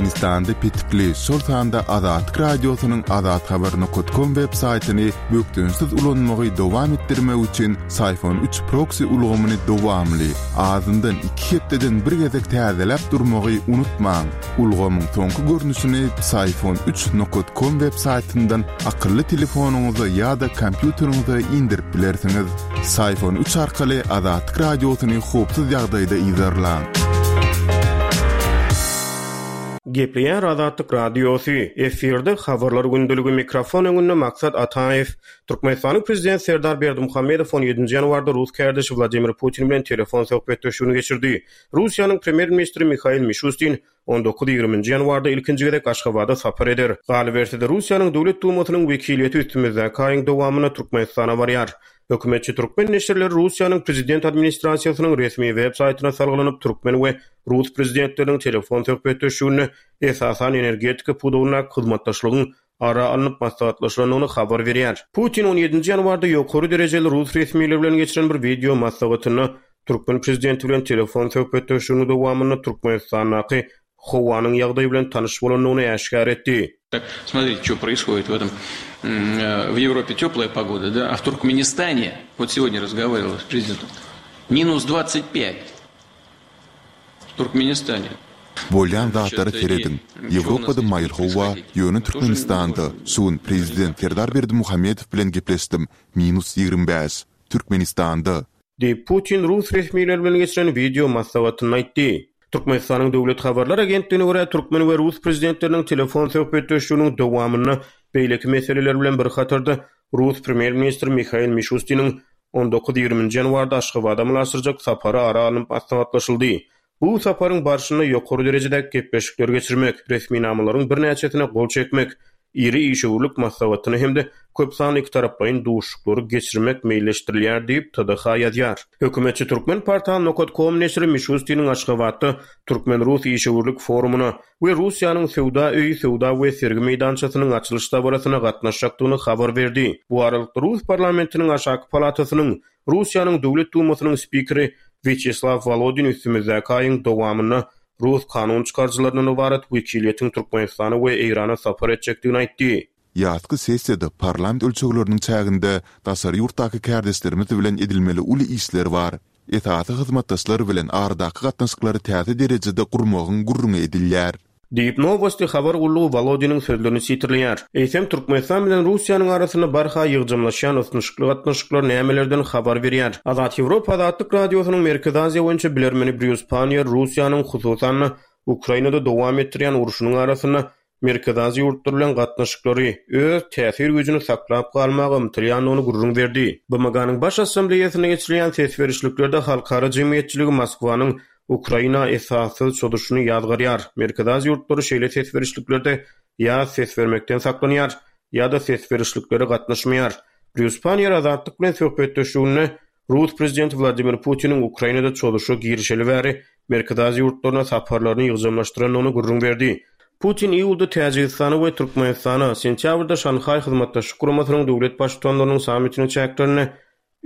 Türkmenistanda petikli, şol sanda Azatlyk Radiosynyň azathabar nokat kom web saýtyny bökdençsiz ulanmagy dowam etdirmek üçin Syfon üç proksi ulgamyny dowamly, azyndan iki hepdeden bir gezek täzeläp durmagy unutmaň. Ulgamyň soňky görnüşini Psiphon üç nokat kom web saýtyndan akylly telefonyňyza ýa-da kompýuteriňize indirip bilersiňiz. Psiphon üç arkaly Azatlyk Radiosyny howpsuz ýagdaýda yzarlaň. Gepleýär Azatlyk Radiosy, efirde Habarlar gündeligi, mikrofon öňünde Maksat Ataýew. Türkmenistanyň Prezidenti Serdar Berdimuhamedow on ýedinji ýanwarda rus kärdeşi Wladimir Putin bilen telefon söhbetdeşligini geçirdi. Russiýanyň Premýer-ministri Mihail Mişustin on dokuz-ýigriminji ýanwarda ilkinji gezek Aşgabada sapar eder. Galyberse-de, Russiýanyň Döwlet Dumasynyň wekiliýeti üstümizdäki aýyň dowamynda Türkmenistana barýar. Hökümetçi türkmen neşirleri Russiýanyň Prezident administrasiýasynyň resmi web saýtyna salgylanyp, türkmen we rus prezidentleriniň telefon söhbetdeşliginde esasan energetika pudagyndaky hyzmatdaşlygyň ara alnyp maslahatlaşylandygyny habar berýär. Putin on ýedinji ýanwarda ýokary derejeli rus resmileri bilen geçiren bir wideo maslahatynda türkmen prezidenti bilen telefon söhbetdeşliginiň dowamynda Türkmenistandaky howanyň ýagdaýy bilen tanyş bolandygyny äşgär etdi. Смотрите, что происходит в этом в Европе теплая погода, да, а в Туркменистане, вот сегодня разговаривал с президентом, минус 25 в Туркменистане. Bolýan zatlara serediň. Ýewropada maýyl howa, ýöne Türkmenistanda, şu gün prezident Serdar Berdimuhamedow bilen gepleşdim, minus 25. Türkmenistanda. Diýip, Putin rus resmileri bilen geçiren wideo maslahatynda aýtdy. Türkmenistanyň Döwlet habarlar agentligine görä, türkmen we rus prezidentleriniň telefon söhbetdeşliginiň dowamynda beýleki meseleler bilen bir hatarda rus premýer-ministri Mihail Mişustiniň on dokuz-ýigriminji ýanwarda Aşgabada amala aşyrjak sapary ara alnyp maslahatlaşyldy. Bu saparyň barşynda ýokary derejedäki gepleşikleri geçirmek, resminamalaryň birnäçesine gol çekmek, iri işewürlik maslahatyny hem-de köp sanly ikitaraplaýyn duşuşyklary geçirmek meýilleşdirilýär diýip, TDH ýazýar. Hökümetçi Turkmenportal nokat kom neşiri Mişustiniň Aşgabatda türkmen-rus işewürlik forumyna we Russiýanyň Söwda öýi söwda we sergi meýdançasynyň açylyş dabarasyna gatnaşjakdygyny habar berdi. Bu aralykda, rus parlamentiniň aşaky palatasynyň Russiýanyň Döwlet Dumasynyň spikeri Wýaçeslaw Wolodin üstümizdäki aýyň dowamynda rus kanun çykaryjylaryndan ybarat wekiliýetiň Türkmenistana we Eýrana sapar etjekdigini aýtdy. Ýazky sessiýada parlament ölçegleriniň çäginde daşary ýurtdaky kärdeşlerimiz bilen edilmeli uly işler bar. Esasy hyzmatdaşlar bilen aradaky gatnaşyklary täze derejede gurmagyň gürrüňi edilýär. Diýip, Nowosti habar gullugy Wolodiniň sözlerini sitirleýär. Eýsem, Türkmenistan bilen Russiýanyň arasynda barha ýygjamlaşýan ysnyşykly gatnaşyklar nämelerden habar berýär? Azat Ýewropa Azatlyk Radiosynyň Merkezi Aziýa boýunça bilermeni Brýus Panniýer Russiýanyň, hususan-da, Ukrainada dowam etdirýän urşunyň arasynda Merkezi Aziýa ýurtlary bilen gatnaşyklary, öz täsir güýjüni saklap galmaga ymtylýandygyny gürrüň berdi. BMG-niň Baş Assambleýasynda geçirilýän ses berişliklerde halkara jemgyýetçiligi Moskwanyň Ukraina esassyz çozuşyny ýazgarýar. Merkezi Aziýa ýurtlary şeýle ses berişliklerde ýa ses bermekden saklanýar, ýa-da ses berişliklere gatnaşmaýar. Brýus Panniýer Azatlyk bilen söhbetdeşliginde rus prezidenti Wladimir Putiniň Ukrainada çozuşa girişeli bäri Merkezi Aziýa ýurtlaryna saparlaryny ýygjamlaşdyrandygyny gürrüň berdi. Putin iýulda Täjigistana we Türkmenistana, sentýabrda Şanhaý Hyzmatdaşlyk Guramasynyň döwlet Baştutanlarynyň sammitiniň çäklerinde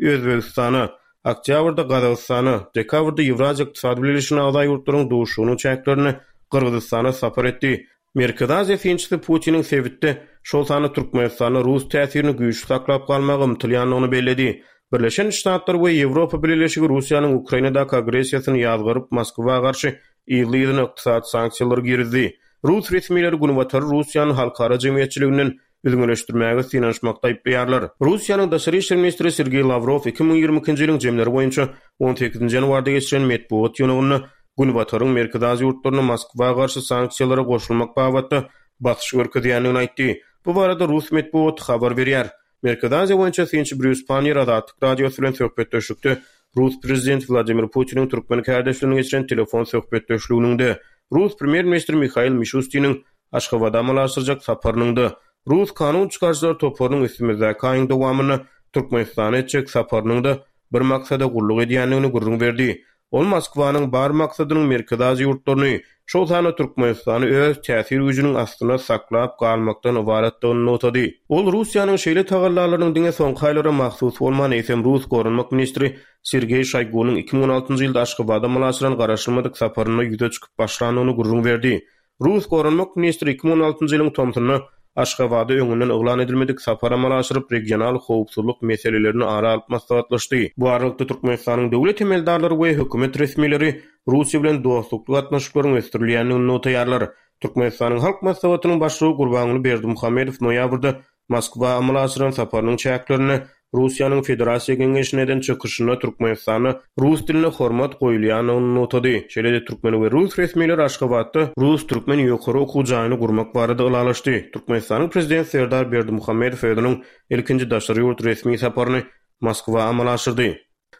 Özbegistana, oktýabrda Gazagystana, dekabrda Ýewraziýa Ykdysady Bileleşigine agza ýurtlaryň duşuşygynyň çäklerinde Gyrgyzystana sapar etdi. Merkezi Aziýa synçysy Putiniň sebitde, şol sanda Türkmenistanda rus täsirini güýçli saklap galmaga ymtylýandygyny belledi. Birleşen Ştatlar we Ýewropa Bileleşigi Russiýanyň Ukrainadaky agressiýasyny ýazgaryp, Moskwa garşy yzly-yzyna ykdysady sanksiýalary girizdi. Rus resmileri Günbatary Russiýany halkara jemgyýetçiliginden üzňeleşdirmäge synanyşmakda aýyplaýarlar. Russiýanyň daşary işler ministri Sergeý Lawrow 2022-nji ýylyň jemleri boýunça on sekizinji ýanwarda geçiren metbugat ýygnagynda Günbataryň Merkezi Aziýa ýurtlaryna Moskwa garşy sanksiýalara goşulmak babatda basyş görkezýändigini aýtdy. Bu barada rus metbugaty habar berýär. Merkezi Aziýa boýunça synçy Brýus Panniýer Azatlyk Radiosy bilen söhbetdeşlikde rus prezidenti Wladimir Putiniň türkmen kärdeşi bilen geçiren telefon söhbetdeşliginiň-de, rus premýer-ministri Mihail Mişustiniň Aşgabada amala aşyrjak saparynyň-da, rus kanun çykaryjylar toparynyň üstümizdäki aýyň dowamynda Türkmenistana etjek saparynyň-da bir maksada gulluk edýändigini gürrüň berdi. Ol Moskwanyň bar maksadynyň Merkezi Aziýa ýurtlaryny, şol sanda Türkmenistany öz täsir güýjüniň astynda saklap galmakdan ybaratdygyny nygtady. Ol Russiýanyň şeýle tagallalarynyň diňe soňky aýlara mahsus bolman, eýsem rus goranmak ministri Sergeý Şoýgunyň 2016 ýylda Aşgabada amala aşyran garaşylmadyk saparynda ýüze çykyp başlandygyny gürrüň berdi. Rus goranmak ministri 2016-njy ýylyň tomsunda Aşgabada öňünden yglan edilmedik sapar amala aşyryp, regional howpsuzlyk meselelerini ara alyp maslahatlaşdy. Bu aralykda, Türkmenistanyň döwlet emeldarlary we hökümet resmileri Russiýa bilen dostlukly gatnaşyklaryň ösdürilýändigini nygtaýarlar. Türkmenistanyň Halk Maslahatynyň Başlygy Gurbanguly Berdimuhamedow noýabrda Moskwa amala aşyran saparynyň çäklerinde Russiýanyň Federasiýa Geňeşinde eden çykyşynda Türkmenistanda rus diline hormat goýulýandygyny nygtady. Şeýle-de türkmen we rus resmileri Aşgabatda rus-türkmen ýokary okuw jaýyny gurmak barada ylalaşdy. Türkmenistanyň Prezidenti Serdar Berdimuhamedow özüniň ilkinji daşary ýurt resmi saparyny Moskwa amala aşyrdy.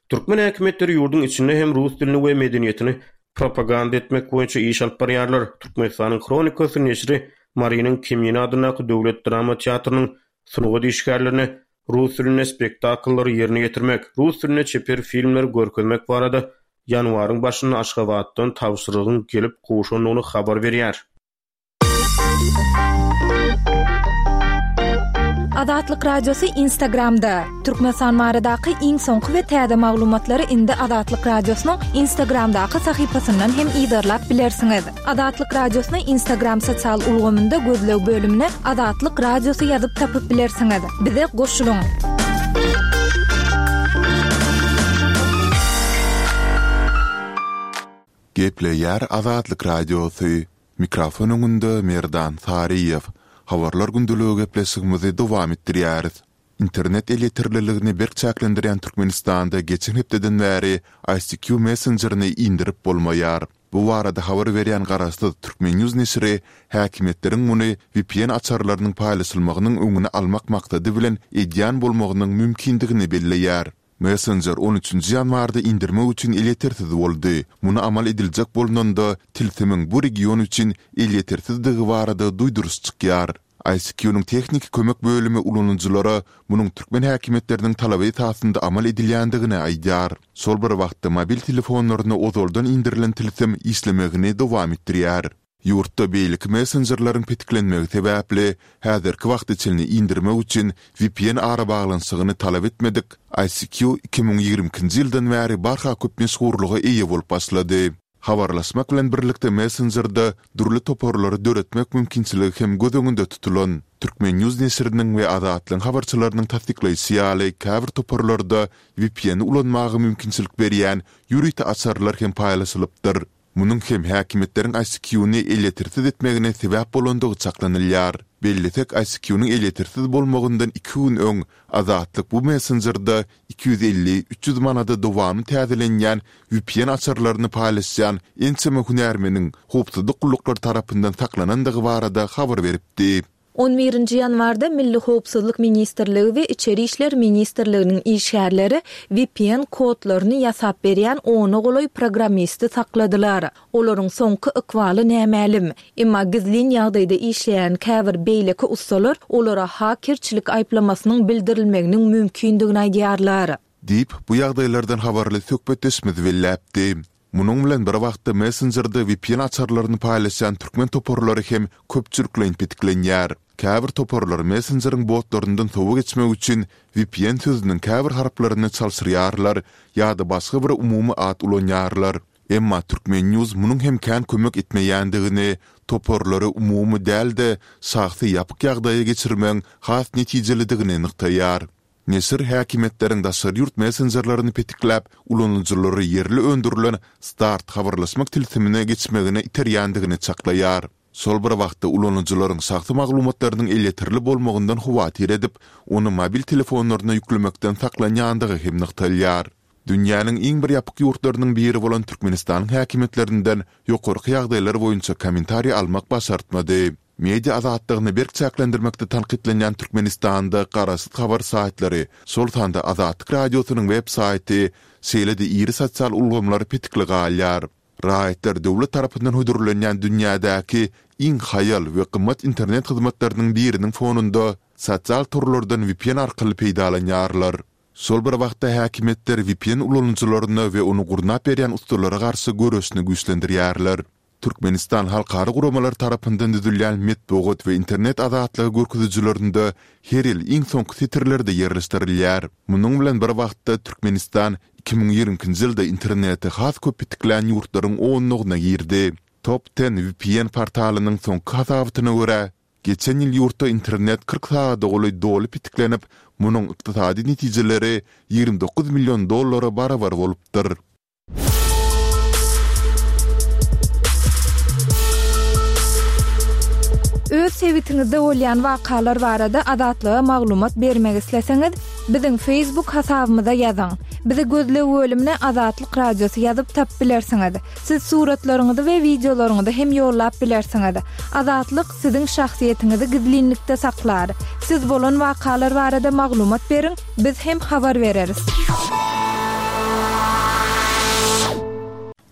Türkmen häkimiýetleri ýurduň içinde hem rus dilini we medeniýetini propaganda etmek boýunça iş alyp barýarlar. Türkmenistanyň Hronikasy neşiri Marynyň Kemine adyndaky döwlet drama teatrynyň sungat işgärlerine rus dilinde spektakllary ýerine ýetirmek, rus dilinde çeper filmleri görkezmek barada ýanwaryň başynda Aşgabatdan tabşyrygyň gelip gowşandygyny habar berýär. Azatlyk Radiosy Instagramda, Türkmenistan baradaky iň soňky we täze maglumatlary indi Azatlyk Radiosynyň Instagramdaky sahypasyndan hem yzarlap bilersiňiz. Azatlyk Radiosyny Instagram sosial ulgamynda gözleg bölümine Azatlyk Radiosy ýazyp tapyp bilersiňiz. Bize goşulyň! Gepleýär Azatlyk Radiosy. Mikrofon öňünde Merdan Saryýew. Habarlar gündeligi gepleşigimizi dowam etdirýäris. Internet elýeterliligini berk çäklendirýän Türkmenistanda geçen hepdeden bäri ICQ messenjerini indirip bolmaýar. Bu barada habar berýän garaşsyz Turkmennews neşiri häkimiýetleriň muny vpn açarlarynyň paýlaşylmagynyň öňüni almak maksady bilen edýän bolmagynyň mümkindigini belleýär. Messenjer on üçünji ýanwarda indirmek üçin elýetersiz boldy. Muny amal ediljek bolnanda, tilsimiň bu region üçin elýetersizdigi barada duýduryş çykýar. ICQ-nyň tehniki kömek bölümi ulanyjylara munuň türkmen häkimiýetleriniň talaby esasynda amal edilýändigini aýdýar. Şol bir wagtda mobil telefonlaryna ozaldan indirilen tilsim işlemegini dowam etdirýär. Ýurtda beýleki messenjerleriň petiklenmegi sebäpli, häzirki wagta çenli indirmek üçin vpn arabaglanyşygyny talap etmedik ICQ 2022-nji ýyldan bäri barha köp meşhurlyga eýe bolup başlady. Habarlaşmak bilen birlikde messenjerde dürli toparlary döretmek mümkinçiligi hem göz öňünde tutulan. Turkmennews neşiriniň we Azatlygyň habarçylarynyň tassyklaýşy ýaly, käbir toparlarda vpn-i ulanmaga mümkinçilik berýän ýörite açarlar hem paýlaşylypdyr. Munuň hem häkimiýetleriň ICQ-ny elýetersiz etmegine sebäp bolandygy çaklanylýar. Bellesek, ICQ-nyň elýetersiz bolmagyndan iki gün öň Azatlyk bu messenjerde 250, 300 manada dowamly täzelenýän vpn açarlaryny paýlaşýan ençeme hünärmeniň howpsuzlyk gulluklary tarapyndan saklanandygy barada habar beripdi. On birinji ýanwarda Milli howpsuzlyk ministrligi we Içeri işler ministrliginiň işgärleri vpn kodlaryny ýasap berýän ona golaý programmisti sakladylar. Olaryň soňky ykbaly nämälim. Emma gizlin ýagdaýda işleýän käbir beýleki ussalar olara hakerçilik aýyplamasynyň bildirilmeginiň mümkindigini aýdýarlar. Diýip, bu ýagdaýlardan habarly söhbetdeşimiz belläpdi. Munuň bilen bir wagtda messenjerde vpn açarlaryny paýlaşýan türkmen toparlary hem köpçülikleýin petiklenýär. Käbir toparlar messenjeriň botlaryndan sowa geçmek üçin vpn sözüniň käbir harplaryny çalşyrýarlar ýa-da başga bir umumy at ulanýarlar. Emma Turkmennews munuň hem kän kömek etmeýändigini, toparlary umumy däl-de, şahsy ýapyk ýagdaýa geçirmegiň has netijelidigini nygtaýar. Neşir häkimiýetleriň daşary ýurt messenjerlerini petikläp, ulanyjylary ýerli öndürilen Start habarlaşmak tilsimine geçmegine iterýändigini çaklaýar. Şol bir wagtda ulanyjylaryň şahsy maglumatlarynyň elýeterli bolmagyndan howatyr edip, ony mobil telefonlaryna ýüklemekden saklanýandygy hem nygtalýar. Dünýäniň iň bir ýapyk ýurtlarynyň biri bolan Türkmenistanyň häkimiýetlerinden ýokarky ýagdaýlar boýunça kommentariý almak başartmady. Media azatlygyny berk çäklendirmekde tankytlanýan Türkmenistanda garaşsyz habar saýtlary, şol sanda Azatlyk Radiosynyň web saýty, şeýle-de iri sosial ulgamlar petikli galýar. Raýatlar döwlet tarapyndan hödürlenýän dünýädäki iň haýal we gymmat internet hyzmatlarynyň biriniň fonunda sosial torlardan vpn arkaly peýdalanýarlar. Şol bir wagtda häkimiýetler vpn ulanyjylaryna we ony gurnap berýän ussalara garşy göreşini güýçlendirýärler. Türkmenistan halkara guramalar tarapyndan düzülýän metbugat we internet azatlygy görkezijilerinde her ýyl iň soňky setirlerde ýerleşdirilýär. Munuň bilen bir wagtda Türkmenistan 2022-nji ýylda interneti has köp petiklän ýurtlaryň onlugyna girdi. Top Ten vpn portalynyň soňky hasabatyna görä, geçen ýyl ýurtda internet 40 sagada golaý doly petiklenip, munuň ykdysady netijeleri 29 million dollara barabar bolupdyr. Öz sebitiňizde bolýan wakalar barada Azatlyga maglumat bermek isleseňiz, biziň Facebook hasabymyza ýazyň. Bizi gözleg bölümine Azatlyk Radiosy ýazyp tapyp bilersiňiz. Siz suratlaryňyzy we wideolaryňyzy hem ýollap bilersiňiz. Azatlyk siziň şahsyýetiňizi gizlinlikde saklar. Siz bolan wakalar barada maglumat beriň, biz hem habar bereris.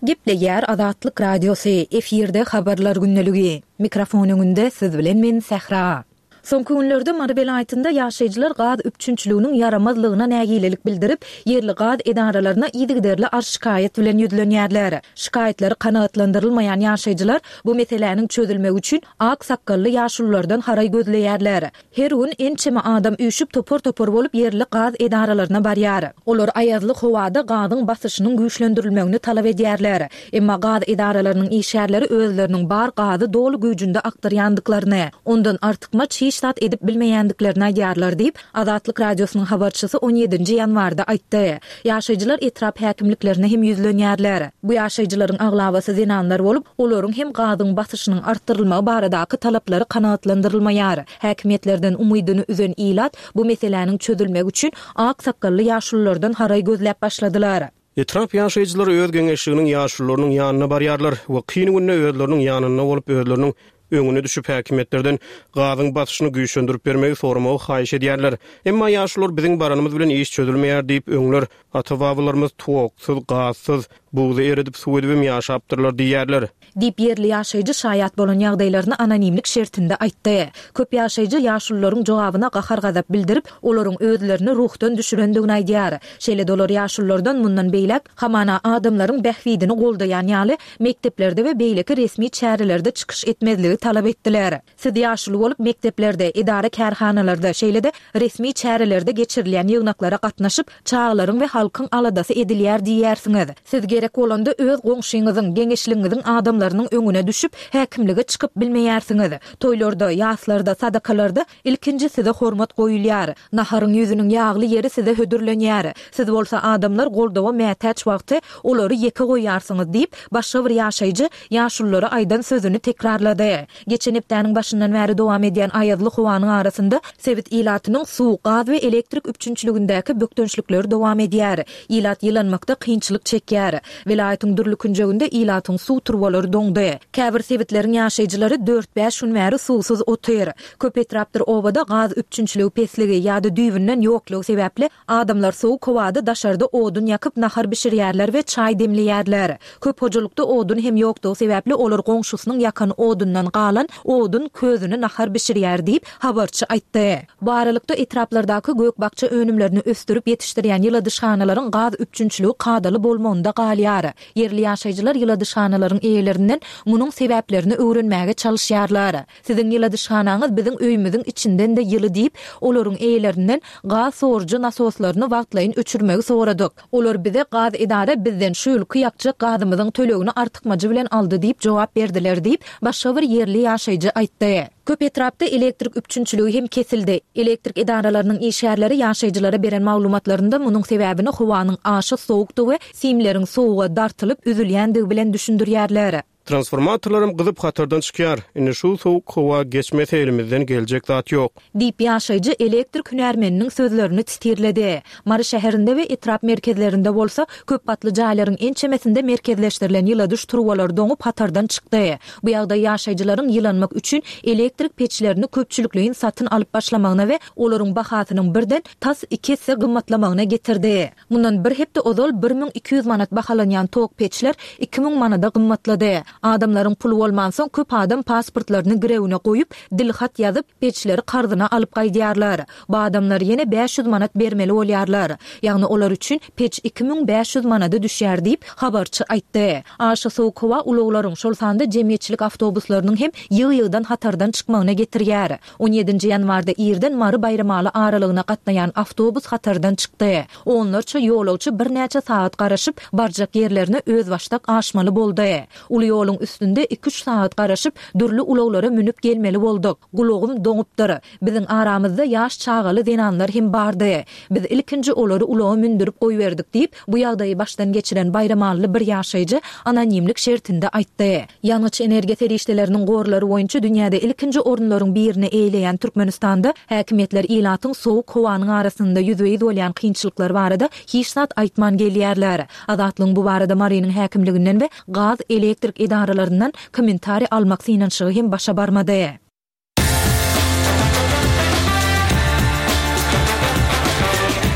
Gepleýär Azatlyk Radiosy, efirde Habarlar gündeligi. Mikrofon öňünde siz bilen men Sähra. Soňky günlerde Mary welaýatynda ýaşaýjylar gaz üpjünçiliginiň ýaramazlygyna nägilelik bildirip, ýerli gaz edaralaryna yzygiderli arz-şikaýat bilen ýüzlenýärler. Şikaýatlary kanagatlandyrylmaýan ýaşaýjylar bu meseläniň çözülmegi üçin ak sakgally ýaşululardan haraý gözleýärler. Her gün ençeme adam üýşüp topar-topar bolup ýerli gaz edaralaryna barýar. Olar aýazly howada gazyň basyşynyň güýçlendirilmegini talap edýärler. Emma gaz edaralarynyň işgärleri özleriniň bar gazy doly güýjünde akdyrýandyklaryny, ondan artykmaç hiç zat edip bilmeýändiklerini aýdýarlar diýip, Azatlyk Radiosynyň habarçysy on ýedinji ýanwarda aýtdy. Ýaşaýjylar etrap häkimliklerine hem ýüzlenýärler. Bu ýaşaýjylaryň aglabasy zenanlar bolup, olaryň hem gazyň basyşynyň artdyrylmagy baradaky talaplary kanagatlandyrylmaýar. Häkimiýetlerden umydyny üzen ilat bu meseläniň çözülmegi üçin ak sakgally ýaşululardan haraý gözläp başladylar. Etrap ýaşaýjylary öz geňeşliginiň ýaşulularynyň ýanyna barýarlar we kyn günde özleriniň ýanynda bolup özleriniň öňüne düşüp häkimiýetlerden gazyň basyşyny güýçlendirip bermegi soramagy haýyş edýärler. Emma ýaşulular biziň baranymyz bilen iş çözülmeýär diýip öňler ata-babalarymyz toksuz, gazsyz, buzy eredip suw edibem ýaşapdyrlar diýýärler. Diýip, ýerli ýaşaýjy şaýat bolan ýagdaýlaryny anonimlik şertinde aýtdy. Köp ýaşaýjy ýaşulularyň jogabyna gahar-gazap bildirip, olaryň özlerini ruhdan düşürendigini aýdýar. Şeýle-de olar ýaşululardan mundan beýläk, hamana, adamlaryň bähbidini goldaýan ýaly, mekdeplerde we beýleki resmi çärelerde çykyş etmezligi talap etdiler. Siz ýaşuly bolup, mekdeplerde, edara-kärhanalarda, şeýle-de resmi çärelerde geçirilýän ýygnaklara gatnaşyp, çagalaryň we halkyň aladasy edilýär diýýärsiňiz. Siz gerek bolanda öz goňşyňyzyň, geňeşligiňiziň adamlarynyň öňüne düşüp, häkimlige çykyp bilmeýärsiňiz. Toýlarda, ýaslarda, sadakalarda ilkinji size hormat goýulýar. Naharyň ýüzüniň ýagly ýeri size hödürlenýär. Siz bolsa adamlar goldawa mätäç wagty olary ýeke goýýarsyňyz diýip, başga bir ýaşaýjy ýaşululara aýdan sözüni tekrarlady. Geçen hepdäniň başyndan bäri dowam edýän aýazly howanyň arasynda sebit ilatynyň suw, gaz we elektrik üpjünçiligindäki bökdençlikleri dowam edýär. Ilat ýylanmakda kynçylyk çekýär. Welaýatyň dürli künjeginde ilatyň suw turbalary doňdy. Käbir sebitleriň ýaşaýjylary dört-bäş gün bäri suwsuz otyr. Köp etrapdyr obada gaz üpjünçiligi pesligi ýa-da düýbünden ýoklugy sebäpli Adamlar sowuk howada daşarda odun ýakyp nahar bişirýärler we çaý demleýärler. Köp hojalykda odun hem ýokdugy sebäpli olar goňşusynyň ýakan odundan galan odun közüni nahar bişirýär diýip, habarçy aýtdy. Bu aralykda, etraplardaky gök-bakja önümlerini ösdürip ýetişdirýän ýyladyşhanalaryň gaz üpjünçiligi kadaly bolmagynda galýar. Ýerli ýaşaýjylar ýyladyşhanalaryň eýelerinden munuň sebäplerini öwrenmäge çalyşýarlar. Siziň ýyladyşhanaňyz biziň öýümiziň içinden-de ýyly diýip, olaryň eýelerinden gaz sorujy nasoslaryny wagtlaýyn öçürmegi soradyk. Olar bize gaz edara bizden şu ýylky ýakjak gazymyzyň tölegini artykmajy bilen aldy diýip jogap berdiler diýip, başga bir ýerli ýaşaýjy aýtdy. Köp etrapda elektrik üpjünçiligi hem kesildi. Elektrik edaralarynyň işgärleri ýaşaýjylara beren maglumatlarynda munuň sebäbini howanyň aşa sowukdygy we simleriň sowuga dartylyp üzülýändigi bilen düşündirýärler. Transformatorlaram gyzyp hatardan çykýar. Indi şu sowuk howa geçmese elimizden geljek zat ýok. Diýip, ýaşaýjy elektrik hünärmeniniň sözlerini titirledi. Mary şäherinde we etrap merkezlerinde bolsa, köp gatly jaýlaryň ençemesinde merkezleşdirilen ýyladyş turbalary doňup hatardan çykdy. Bu ýagdaý ýaşaýjylaryň ýylanmak üçin elektrik peçlerini köpçülikleýin satyn alyp başlamagyna we olaryň bahasynyň birden tas iki esse gymmatlamagyna getirdi. Mundan bir hepde ozal 1200 manat bahalanýan tok peçler 2000 manada gymmatlady. Adamlaryň puly bolmansoň, köp adam pasportlaryny girewine goýup, dilhat ýazyp, peçleri karzyna alyp gaýdýarlar. Bu adamlar ýene 500 manat bermeli bolýarlar. Ýagny olar üçin peç 2500 manada düşýär diýip, habarçy aýtdy. Aşa sowuk howa ulaglaryň, şol sanda jemgyýetçilik awtobuslarynyň hem ýygy-ýygydan hatardan çykmagyna getirýär. On ýedinji ýanwarda irden Mary-Baýramaly aralygyna gatnaýan awtobus hatardan çykdy. Onlarça ýolagçy birnäçe sagat garaşyp, barjak ýerlerine özbaşdak aşmaly boldy. Uly ýoluň. Ýoluň üstünde iki-üç sagat garaşyp, dürli ulaglara münüp gelmeli bolduk. Gulagym doňupdyr. Biziň aramyzda ýaş çagaly zenanlar hem bardy. Biz ilkinji olary ulaga mündürip goýberdik diýip, bu ýagdaýy başdan geçiren baýramally bir ýaşaýjy anonimlik şertinde aýtdy. Ýangyç-energiýa serişdeleriniň gorlary boýunça dünýäde ilkinji orunlaryň birini eýeleýän Türkmenistanda häkimiýetler ilatyň sowuk howanyň arasynda ýüzbe-ýüz bolýan kynçylyklary barada hiç zat aýtman gelýärler. Azatlygyň bu barada Marynyň häkimliginden we gaz, elektrik edaralaryndan kommentariý almak synanyşygy hem başa barmady.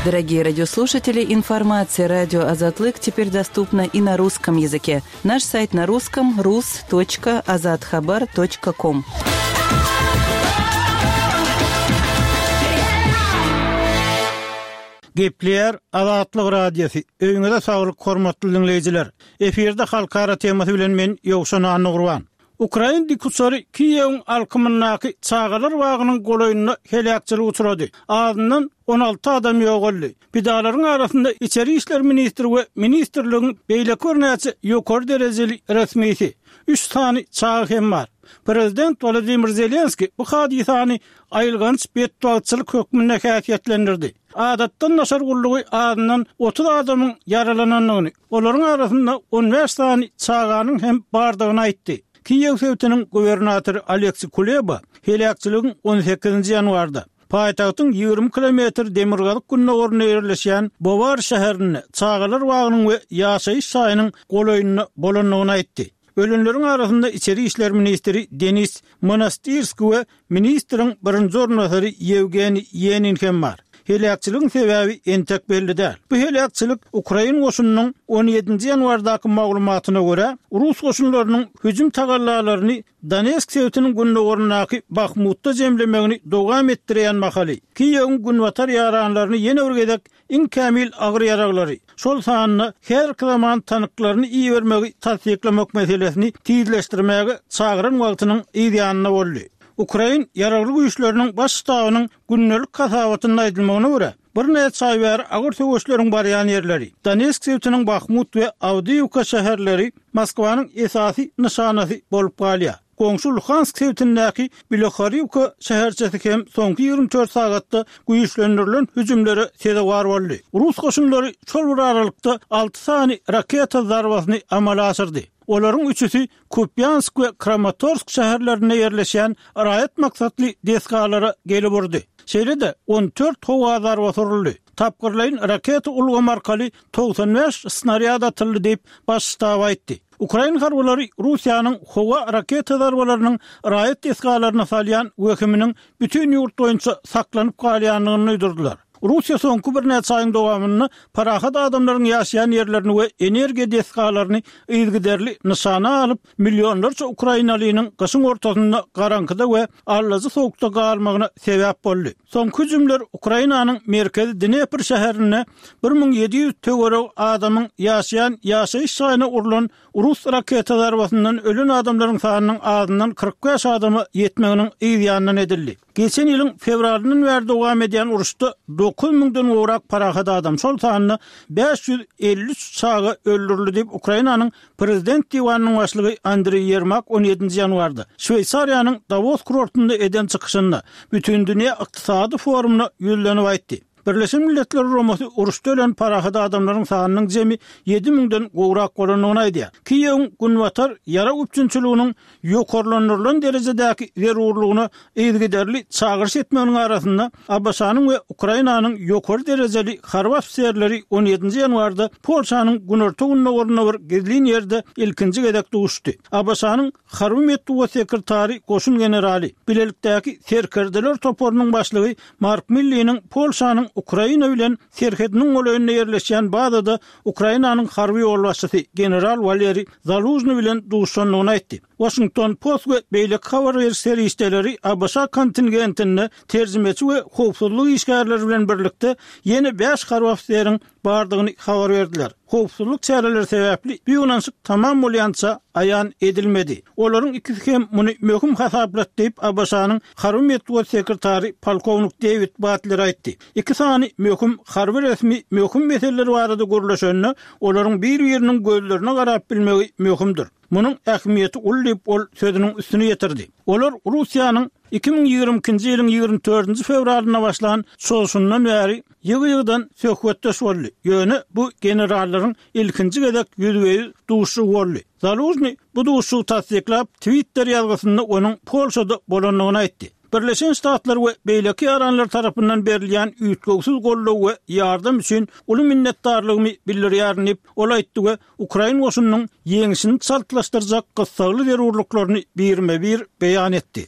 Дорогие радиослушатели, информация радио Азатлык теперь доступна и на русском языке. Наш сайт на русском rus.azathabar.com. Gepleýär Azatlyk Radiosy, Öýüňize saglyk hormatly diňleýjiler! Efirde halkara temasy bilen men Ýowşan Annagurban. Ukrain dikuçary Kiýewiň alkymyndaky çagalar bagynyň golaýynda heläkçilige uçrady. Azyndan 16 adam ýogaldy. Pidalaryň arasynda içeri işler ministri we ministrligiň beýleki birnäçe ýokary derejeli resmisi, üç sany çaga hem bar. Prezident Wolodymyr Zelenskiý bu hadysany aýylganç betbagtçylyk hökmünde häsiýetlendirdi. Adatdan daşary gullugy azyndan 30 adamyň ýaralanandygyny, olaryň arasynda 15 sany çaganyň hem bardygyny aýtdy. Kiýew sebitiniň gubernatory Oleksiý Kuleba heläkçiligiň on sekizinji ýanwarda, paýtagtyň 20 kilometr demirgazyk-gündogarynda ýerleşýän Bowar şäherinde çagalar bagynyň we ýaşaýyş jaýynyň golaýynda bolandygyny aýtdy. Ölenleriň arasynda içeri işler ministri Denis Monastyrskiý we ministriň birinji orunbasary Ýewgeniý Ýenin hem bar. Heläkçiligiň sebäbi entek belli däl. Bu heläkçilik ukrain goşunynyň on ýedinji ýanwardaky maglumatyna görä, rus goşunlarynyň hüjüm tagallalaryny Donetsk sebitiniň gündogaryndaky Bahmutda jemlemegini dowam etdirýän mahaly, Kiýewiň günbatar ýaranlaryny ýene bir gezek iň kämil agyr ýaraglary, şol sanda häzirki zaman tanklaryny ibermegi tassyklamak meselesini tizleşdirmäge çagyran wagtynyň yz ýanynda boldy. Ukrain Ýaragly Güýçleriniň Baş ştabynyň gündelik hasabatynda aýdylmagyna görä, birnäçe aý bäri agyr söweşleriň barýan ýerleri, Donetsk sebitiniň Bahmut we Awdiýiwka şäherleri Moskwanyň esasy nyşanasy bolup galýar. Goňşy Luhansk sebitindäki Bilohoriwka şäherçesi hem soňky 24 sagatda güýçlendirilen hüjümlere sezewar boldy. Rus goşunlary şol bir aralykda alty sany raketa zarbasyny amala aşyrdy. Olaryň üçüsi Kupýansk we Kramatorsk şäherlerinde ýerleşýän raýat maksatly desgalara gelip urdy. Şeýle-de, 14 howa zarbasy uruldy. Tapgyrlaýyn raketa ulgamy arkaly 95 snarýad atyldy diýip, Baş ştab aýtdy. Ukrain harbylary Russiýanyň howa raketa zarbalarynyň raýat desgalaryna salýan wehiminiň bütin ýurt boýunça saklanyp galýandygyny duýdurdylar. Russiýa soňky birnäçe aýyň dowamynda parahat adamlaryň ýaşaýan ýerlerini we energiýa desgalaryny yzygiderli nyşana alyp, millionlarça ukrainalynyň gyşyň ortasynda garaňkyda we allajy sowukda galmagyna sebäp boldy. Soňky hüjümler Ukrainanyň merkezi Dnepr şäherinde 1700 töweregi adamyň ýaşaýan ýaşaýyş jaýyna urlan rus raketa zarbasyndan ölen adamlaryň sanynyň azyndan 45 adama ýetmeginiň yz ýanyndan edildi. Geçen ýylyň fewralyndan bäri dowam edýän uruşda 9 müňden gowrak parahat adam, şol sanda 553 çaga öldürildi diýip, Ukrainanyň Prezident diwanynyň başlygy Andreý Ýermak on ýedinji ýanwarda Şweýsariýanyň Dawos kurortynda eden çykyşynda Bütindünýä ykdysady forumyna ýüzlenip aýtdy. Birleşen Milletler Guramasy uruşda ölen parahat adamlaryň sanynyň jemi ýedi müňden gowrak bolandygyny aýdýar. Kiýewiň günbatar ýarag üpjünçiliginiň ýokarlandyrylan derejedäki zerurlygyna yzygiderli çagyryş etmeginiň arasynda, ABŞ-nyň we Ukrainanyň ýokary derejeli harby ofiserleri on ýedinji ýanwarda Polşanyň günorta-gündogarynda bir gizlin ýerde ilkinji gezek duşdy. ABŞ-nyň harby metbugat sekretary goşun generaly, bilelikdäki serkerdeler toparynyň başlygy Mark Milliniň Polşanyň Ukraina bilen serhediniň golaýynda ýerleşýän bazada Ukrainanyň harby ýolbaşçysy general Waleriý Zalužnyý bilen duşandygyny aýtdy. Waşington Post we beýleki habar beriş serişdeleri ABŞ kontingentinde terjimeçi we howpsuzlyk işgärleri bilen birlikde ýene bäş harby ofiseriň bardygyny habar berdiler. Howpsuzlyk çäreleri sebäpli bu ýygnanyşyk tamam bolýança aýan edilmedi. Olaryň ikisi hem muny möhüm hasaplady diýip, ABŞ-nyň harby metbugat sekretary polkownik Dewid Batler aýtdy. Iki sany möhüm harby resmi möhüm meseleler barada gürleşende, olaryň bir-biriniň gözlerine garap bilmegi möhümdir. Munuň ähmiýeti uly diýip, ol sözüniň üstüni ýetirdi. Olar Russiýanyň 2022-nji ýylyň 24-nji fewralynda başlan çozuşyndan bäri ýygy-ýygydan söhbetdeş boldy, ýöne bu generallaryň ilkinji gezek ýüzbe-ýüz duşuşygy boldy. Zalužnyý bu duşuşygy tassyklap, Twitter ýazgysynda onuň Polşada bolandygyny aýtdy. Birleşen Ştatlar we beýleki ýaranlar tarapyndan berilýän üýtgewsiz goldaw we ýardam üçin uly minnetdarlygymy bildirýärin diýip, ol aýtdy we ukrain goşunynyň ýeňşini çaltlaşdyrjak gyssagly zerurlyklaryny birme-bir beýan etdi.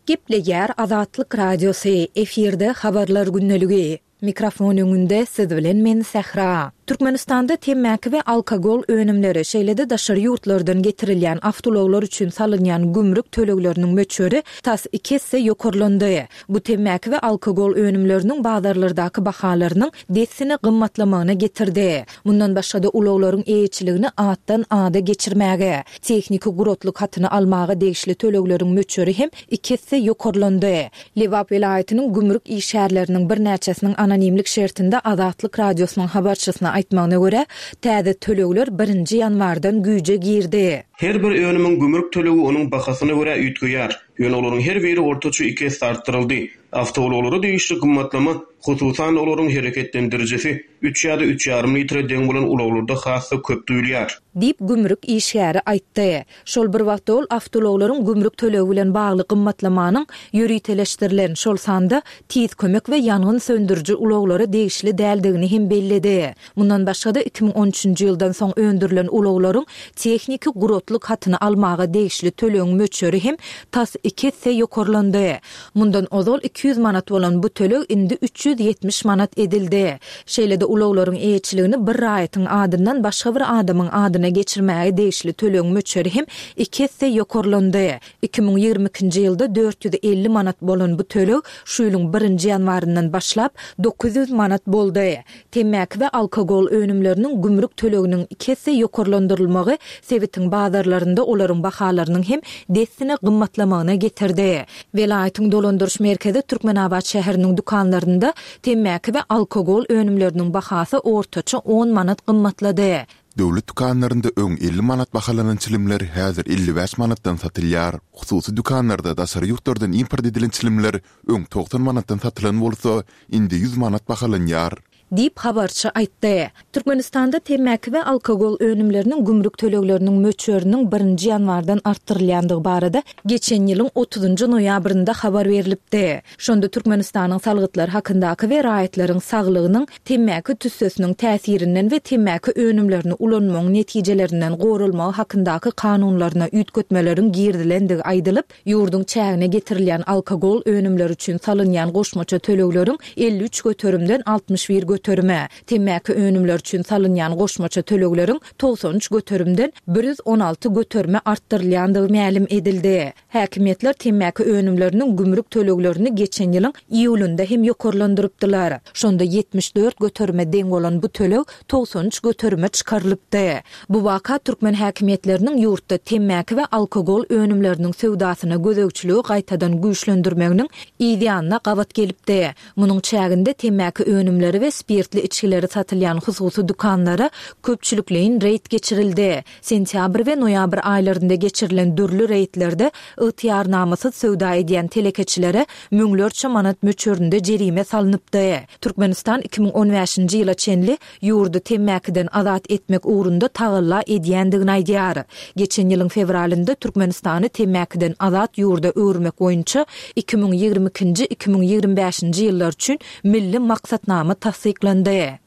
Gepleýär Azatlyk Radiosy, efirde Habarlar gündeligi. Mikrofon öňünde siz bilen men Sähra. Türkmenistanda temmäki we alkogol önümleri, şeýle-de daşary ýurtlardan getirilýän awtoulaglar üçin salynýan gümrük tölegleriniň möçberi tas iki esse ýokarlandy. Bu temmäki we alkogol önümleriniň bazarlardaky bahalarynyň dessine gymmatlamagyna getirdi. Mundan başga-da ulaglaryň eýeçiligini atdan ada geçirmäge, tehniki guratlyk hatyny almaga degişli tölegleriň möçberi hem iki esse ýokarlandy. Lebap welaýatynyň gümrük işgärleriniň birnäçesiniň anonimlik şertinde Azatlyk Radiosynyň habarçysyna aýtmagyna görä, täze tölegler birinji ýanwardan güýje girdi. Her bir önümiň gümrük tölegi onuň bahasyna görä üýtgeýär. Ýöne olaryň her biri ortaça iki esse artdyryldy. Awtoulaglara degişli gymmatlama, hususan-da, olaryň hereketlendirijisi üç ýa-da üç ýarym litre deň bolan ulaglarda has-da köp duýulýar. Diýip, gümrük işgäri aýtdy. Şol bir wagtda ol awtoulaglaryň gümrük tölegi bilen bagly gymmatlamanyň ýöriteleşdirilen, şol sanda tiz kömek we ýangyn söndüriji ulaglara degişli däldigini hem belledi. Mundan başga-da, 2013-nji ýyldan soň öndürilen ulaglaryň tehniki guratlyk hatyny almaga degişli tölegiň möçberi hem tas iki esse ýokarlandy. Mundan ozal 200 manat bolan bu töleg indi 370 manat edildi. Şeýle-de ulaglaryň eýeçiligini bir raýatyň adyndan başga bir adamyň adyna geçirmäge degişli tölegiň möçberi hem iki esse ýokarlandy. 2022-nji ýylda 450 manat bolan bu töleg şu ýylyň birinji ýanwaryndan başlap 900 manat boldy. Temmäki we alkogol önümleriniň gümrük töleginiň iki esse ýokarlandyrylmagy sebitiň bazarlarynda olaryň bahalarynyň hem dessine gymmatlamagyna getirdi. Welaýatyň dolandyryş merkezi Türkmenabat şäheriniň dükanlarynda temmäki we alkogol önümleriniň bahasy ortaça on manat gymmatlady. Döwlet dükanlarynda öň 50 manat bahalanan çilimler häzir 55 manatdan satylýar. Hususy dükanlarda daşary ýurtlardan import edilen çilimler öň 90 manatdan satylan bolsa, indi 100 manat bahalanýar. Diýip, habarçy aýtdy. Türkmenistanda temmäki we alkogol önümleriniň gümrük tölegleriniň möçberiniň birinji ýanwardan artdyrylýandygy barada geçen ýylyň otuzynjy noýabrynda habar berlipdi. Şonda Türkmenistanyň Salgytlar hakyndaky we raýatlaryň saglygynyň temmäki tüssesiniň täsirinden we temmäki önümlerini ulanmagyň netijelerinden goralmagy hakyndaky kanunlaryna üýtgetmeleriň girizilendigi aýdylyp, ýurduň çägine getirilýän alkogol önümleri üçin salynýan goşmaça tölegleriň 53 göterimden 61 göterime, temmäki önümleri üçin salynýan goşmaça tölegleriň 93 göterimden 116 göterime artdyrylýandygy mälim edildi. Häkimiýetler temmäki önümleriniň gümrük töleglerini geçen ýylyň iýulynda hem ýokarlandyrypdylar. Şonda 74 göterime deň bolan bu töleg 93 göterime çykarylypdy. Bu waka türkmen häkimiýetleriniň ýurtda temmäki we alkogol önümleriniň söwdasyna gözegçiligi gaýtadan güýçlendirmeginiň yzýanyna gabat gelipdi. Munuň çäginde temmäki önümleri we spirtli içgileri satylýan hususy dükanlara köpçülikleýin reýd geçirildi. Sentýabr we noýabr aýlarynda geçirilen dürli reýdlerde ygtyýarnamasyz söwda edýän telekeçilere müňlerçe manat möçberinde jerime salnypdy. Türkmenistan 2015-nji ýyla çenli ýurdy temmäkiden azat etmek ugrunda tagalla edýändigini aýdýar. Geçen ýylyň fewralynda Türkmenistany temmäkiden azat ýurda öwürmek boýunça 2022-nji, 2025-nji ýyllar üçin milli maksatnama tassyklandy.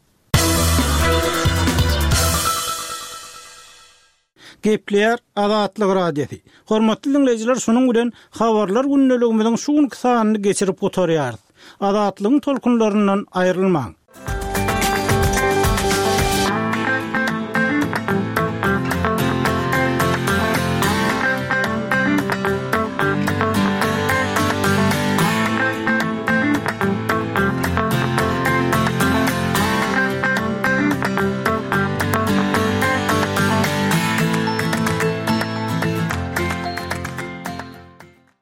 Gepleýär Azatlyk Radiosy. Hormatly diňleýjiler şunuň bilen Habarlar gündeligimiziň şu günki sanyny geçirip gutarýarys. Azatlygyň tolkunlaryndan aýrylmaň.